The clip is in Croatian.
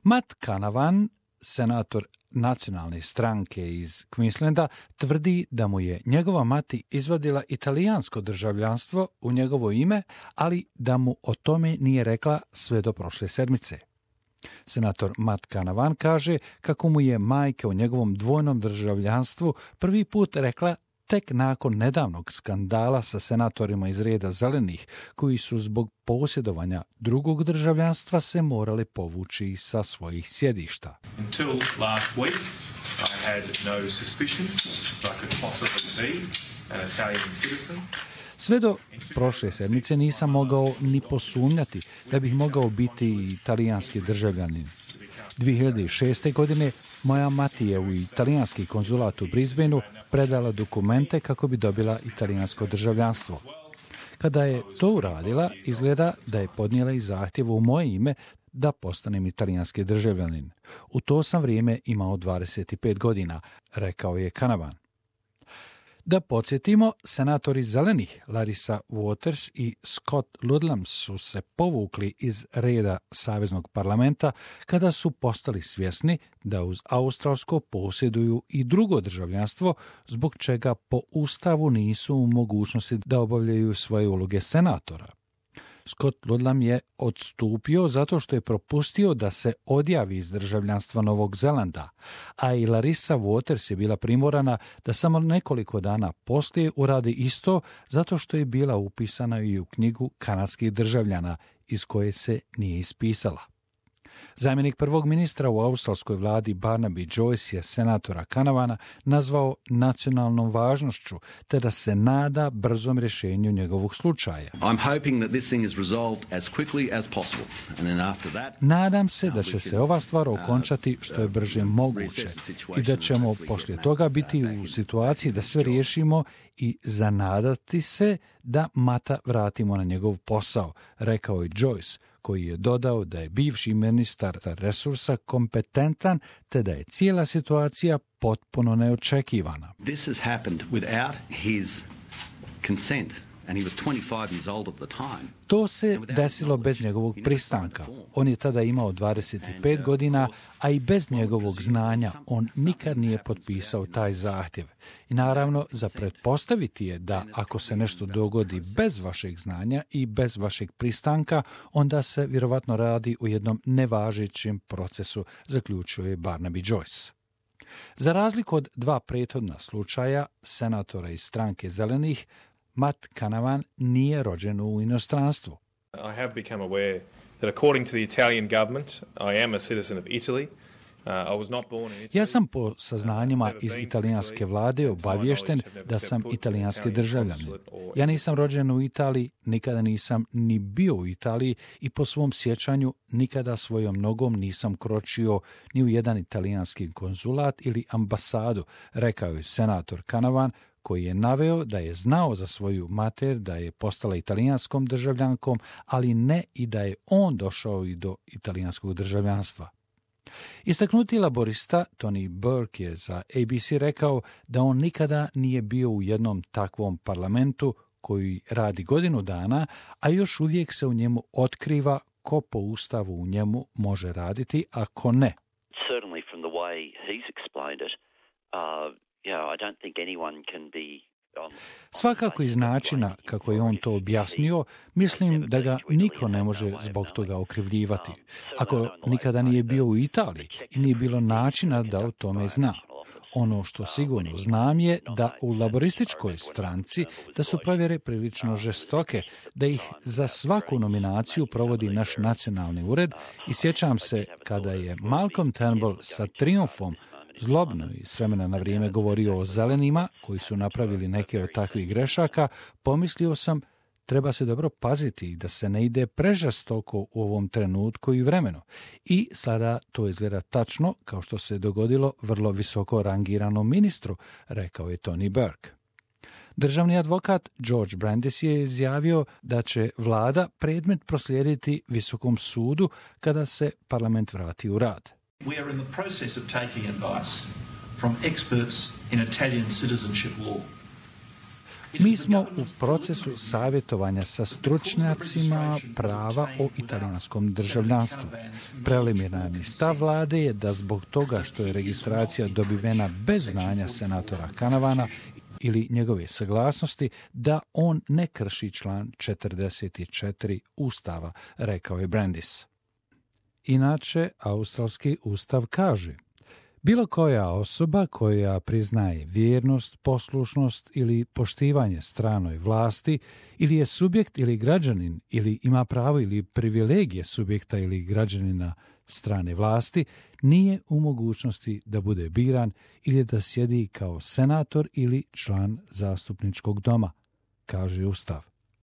Matt Canavan, senator nacionalne stranke iz Queenslanda, tvrdi da mu je njegova mati izvadila italijansko državljanstvo u njegovo ime, ali da mu o tome nije rekla sve do prošle sedmice. Senator Matt Canavan kaže kako mu je majka o njegovom dvojnom državljanstvu prvi put rekla tek nakon nedavnog skandala sa senatorima iz reda zelenih, koji su zbog posjedovanja drugog državljanstva se morali povući sa svojih sjedišta. Until last week, I had no suspicion that I could possibly be an Italian citizen. Sve do prošle sedmice nisam mogao ni posumnjati da bih mogao biti italijanski državljanin. 2006. godine moja mati je u italijanski konzulat u Brisbaneu predala dokumente kako bi dobila italijansko državljanstvo. Kada je to uradila, izgleda da je podnijela i zahtjev u moje ime da postanem italijanski državljanin. U to sam vrijeme imao 25 godina, rekao je Canavan. Da podsjetimo, senatori zelenih Larissa Waters i Scott Ludlam su se povukli iz reda Saveznog parlamenta kada su postali svjesni da uz australsko posjeduju i drugo državljanstvo, zbog čega po Ustavu nisu u mogućnosti da obavljaju svoje uloge senatora. Scott Ludlam je odstupio zato što je propustio da se odjavi iz državljanstva Novog Zelanda, a i Larissa Waters je bila primorana da samo nekoliko dana poslije uradi isto zato što je bila upisana i u knjigu kanadskih državljana iz koje se nije ispisala. Zamjenik prvog ministra u australskoj vladi Barnaby Joyce je senatora Canavana nazvao nacionalnom važnošću, te da se nada brzom rješenju njegovog slučaja. Nadam se da će se ova stvar okončati što je brže moguće i da ćemo poslije toga biti u situaciji da sve riješimo i zanadati se da Mata vratimo na njegov posao, rekao je Joyce, koji je dodao da je bivši ministar resursa kompetentan te da je cijela situacija potpuno neočekivana. This has happened without his consent. And he was 25 years old at the time. To se desilo bez njegovog pristanka. On je tada imao 25 godina, a i bez njegovog znanja on nikad nije potpisao taj zahtjev. I naravno, za pretpostaviti je da ako se nešto dogodi bez vašeg znanja i bez vašeg pristanka, onda se vjerovatno radi o jednom nevažećem procesu, zaključio je Barnaby Joyce. Za razliku od dva prethodna slučaja senatora iz stranke zelenih, Matt Canavan nije rođen u inostranstvu. I have become aware that according to the Italian government, I am a citizen of Italy. Ja sam po saznanjima iz italijanske vlade obaviješten da sam italijanski državljanin. Ja nisam rođen u Italiji, nikada nisam ni bio u Italiji i po svom sjećanju nikada svojom nogom nisam kročio ni u jedan italijanski konzulat ili ambasadu, rekao je senator Canavan, koji je naveo da je znao za svoju mater da je postala italijanskom državljankom, ali ne i da je on došao i do italijanskog državljanstva. Istaknuti laborista Tony Burke je za ABC rekao da on nikada nije bio u jednom takvom parlamentu koji radi godinu dana, a još uvijek se u njemu otkriva ko po ustavu u njemu može raditi, a ko ne. Certainly from the way he's explained it, I don't think anyone can be. Svakako iz načina kako je on to objasnio, mislim da ga niko ne može zbog toga okrivljivati. Ako nikada nije bio u Italiji i nije bilo načina da o tome zna. Ono što sigurno znam je da u laborističkoj stranci da su provjere prilično žestoke, da ih za svaku nominaciju provodi naš nacionalni ured i sjećam se kada je Malcolm Turnbull sa trijumfom zlobno i s vremena na vrijeme govorio o zelenima koji su napravili neke od takvih grešaka, pomislio sam treba se dobro paziti da se ne ide prežestoko u ovom trenutku i vremenu. I sada to izgleda tačno kao što se dogodilo vrlo visoko rangiranom ministru, rekao je Tony Burke. Državni advokat George Brandis je izjavio da će vlada predmet proslijediti Visokom sudu kada se parlament vrati u rad. We are in the process of taking advice from experts in Italian citizenship law. Mi smo u procesu savjetovanja sa stručnjacima prava o italijanskom državljanstvu. Preliminarni stav vlade je da zbog toga što je registracija dobivena bez znanja senatora Canavana ili njegove saglasnosti, da on ne krši član 44 Ustava, rekao je Brandis. Inače, australski ustav kaže: bilo koja osoba koja priznaje vjernost, poslušnost ili poštivanje stranoj vlasti ili je subjekt ili građanin ili ima pravo ili privilegije subjekta ili građanina strane vlasti, nije u mogućnosti da bude biran ili da sjedi kao senator ili član zastupničkog doma, kaže Ustav.